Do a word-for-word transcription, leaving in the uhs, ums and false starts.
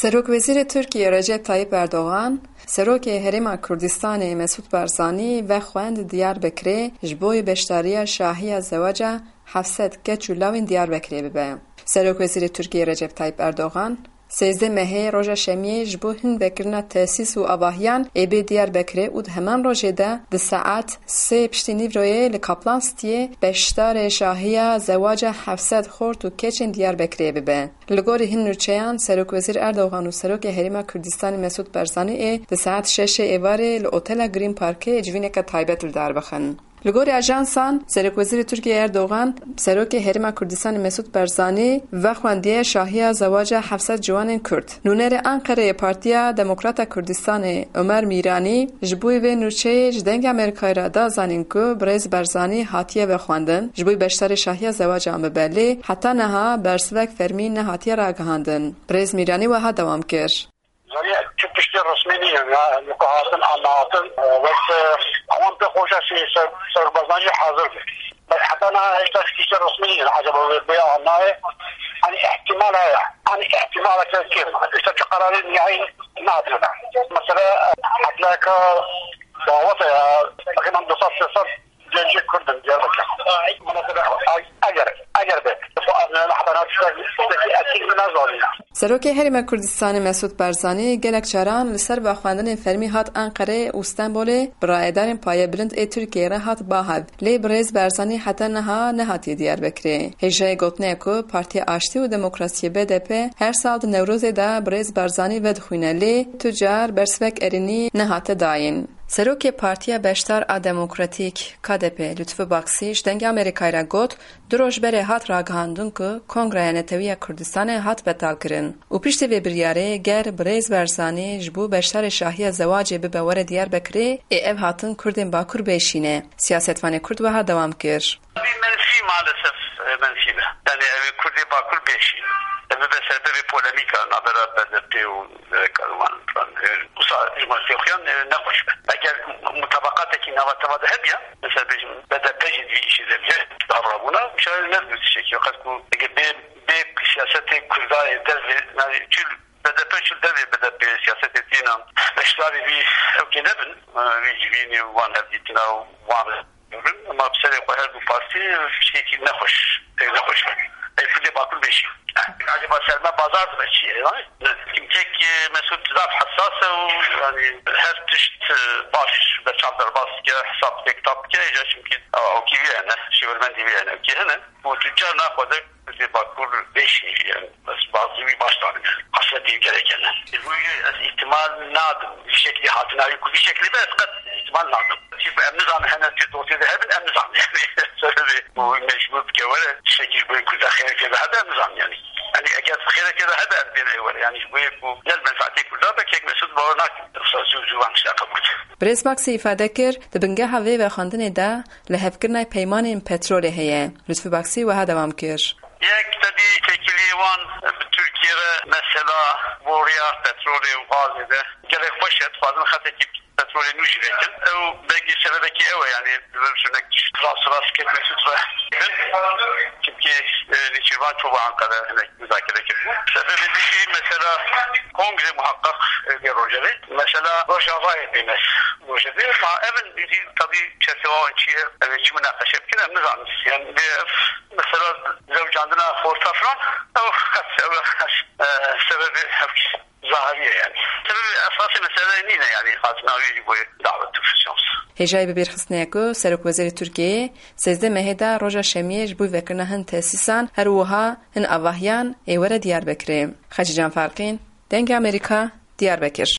Serokwezîrê Tirkiyê Recep Tayyip Erdogan, Serokê Herêma Kurdistanê Mesûd Barzanî vexwend Diyarbekirê ji bo beşdariya şahiya zewaca heft sed keç û lawên Diyarbekirê bibe. Serokwezîrê Tirkiyê Recep Tayyip Erdogan, sêzdeh mehê roja şemiyê ji bo hin vekirina tesîs û avahiyan ê bê Diyarbekirê û di heman rojê de di saet sê piştî nîvroyê li Kaplan Cityê beşdarê şahiya zewaca heft sed xort û keçên Diyarbekirê bibe. Li gorî hin nûçeyan, Serokwezîr Erdogan û Serokê Herêma Kurdistanê Mesûd Barzanî ê di saet şeşê êvarê li Otela Green Parkê civîneke taybet li dar bixin. Li gorî ajansan, Serokwezîrê Tirkiyê Erdogan, Serokê Herêma Kurdistanê Mesûd Barzanî vexwendiye şahiya zewaca heft sed ciwanên Kurd. Nûnerê Anqereyê Partiya Demokrata Kurdistanê Omer Mîranî ji bo vê nûçeyê ji Dengê Amerîkayê re da zanîn ku birêz Barzanî hatiye vexwendin, ji bo beşdarê şahiya zewacan bibe, lê heta niha bersivek fermî nehatiye ragihandin. Birêz Mîranî wiha dewam kir. Zanî tu tiştê resmî nîne, ya, li ku hatin, annehatin, e, wek, e, ewan pê xweşa şey ser, ser Barzanî hazir be. Bes heta niha hêşta tiştê resmî nîne. Acaba wê bê ya nayê? Hani ihtimal heye. Hani ihtimaleke kêm. Hêşta çi qerarê nihayî nehatiye da. Mesela, e, hetleka dawet e, ya, takriben du sed sê sed gencê Kurd in Diyarbekir. Mesela, eger, eger be, bu, e, heta niha tiştek, tiştekî etîk min nezanîne. Serokê Herêma Kurdistanê Mesûd Barzanî gelek caran li ser vexwendinên fermî hat Enqereyê û Stenbolê bi rayedarên payebilind ê Tirkiyeyê re hat ba hev. Lê birêz Barzanî heta niha nehatiye Diyarbekirê. Hêjayê gotinê ye ku Partiya Aştî û Demokrasiyê B D P her sal di Newrozê de birêz Barzanî vedixwîne, lê tu car bersivek erênî nehate dayîn. Serokê Partiya Beşdar a Demokratîk, K D P, Lutfi Baksî ji Dengê Amerîkayê re got, Du roj berê hat ragihandin ku Kongreya Netewî ya Kurdistanê hat betalkirin û piştî vê biryarê ger birêz Barzanî ji bo beşdarê şahiya zewacê bibe were Diyarbekirê, ê ev hatin Kurdên Bakur bêşîne. Siyasetvanê Kurd wiha dewam kir. Tabii menfi maalesef, e, menfi be. Yani ev Kurdê Bakur bêşîn. Ev bibe sebebê polemîka navbera B D P û, e, Karman falan. E, wisa ji me fêxiyan, e, nexweş be. Eger mutabaqatekî nava teva de hebiya, mesela bêjim B D P jî di vî îşê de biye, davranbûna şayê ne bi tiştekî. Qet ku eger bê, bê siyasetê Kurda yê dev vê, yani çi B D P çi dev vê B D P siyasetê tîna beşdarî vî ewkê nebin, e, vî civînê wan hevdîtina û wan Ema bi serê xwe her du partî tiştekî nexweş, pêk nexweş be. Ey Kurdê Bakur bêşî. Acaba ser me bazar dibe çi ye, yani? Kimkek, e, Mesut zaf hessas e û, yani, her tişt, e, baş, berçav derbas dike, hesab dike, kitap dike, îca çimkî, a, o kî vî hene, şêwirmendî vî hene, o kî hene. Û tu car naxwaze Kurdê Bakur bêşî, yani, ez bazı wî baş zanim, yani. Xesletiye gerek hene. Ji bo wî ez îhtimal nadim. Vî şeklî hatina wî ku vî şeklî be ez qet îhtimal nadim. Çi em nizanin hene tu dosyê de hebin, em nizanin yani. Sebebê û mecbûr dike were, tiştekî ji bo yê Kurda xêreke de hebe, em nizanin yani. Yani eger xêreke de hebe, em bêne were. Yani ji bo yê ku ne li menfaetê Kurda be, kek Mesut bawer nakim. Wisa zû, zû van tişta qebûl. Birêz Baksî îfade kir, di bingeha vê vexwendinê de lihevkirina peymanên petrolê heye. Lutfi Baksî wiha dewam kir. Yek tedî têkiliyê wan bi Tirkiye re mesela boriya petrolê û gazê de gelek xweş e, dixwazin xetekî petrolê nû jî vekin. Ew belkî sebebekî ew e, yani, li vir hinek tişt rast rast kek Mesûd re bin. Çimkî, e, Nêçîrvan çû bû Ankara hinek muzakere kir. Sebebê din jî mesela kongre muhaqqaq, e, vê rojevê. Mesela Rojavayê bêne rojevê. Ma ev in jî tabî çerçewa wan çi ye? Ev ê çi munaqeşe bikin? Em nizanin. Yani, lê ev mesela zewcandina xorta filan, ew qet, ew, e, sebebê ev zahiriye yani. Sebebê esasê meseleyê nîne yani, hatina wî ji bo davet û şans. Hêjayî bibîrxistinê ye ku Serokwezîrê Tirkiyeyê sêzdeh mehê de roja şemiyê ji bo vekirina hin tesîsan, her wiha hin avahiyan ê were Diyarbekirê. Xecîcan Farqîn, Dengê Amerîka, Diyarbekir.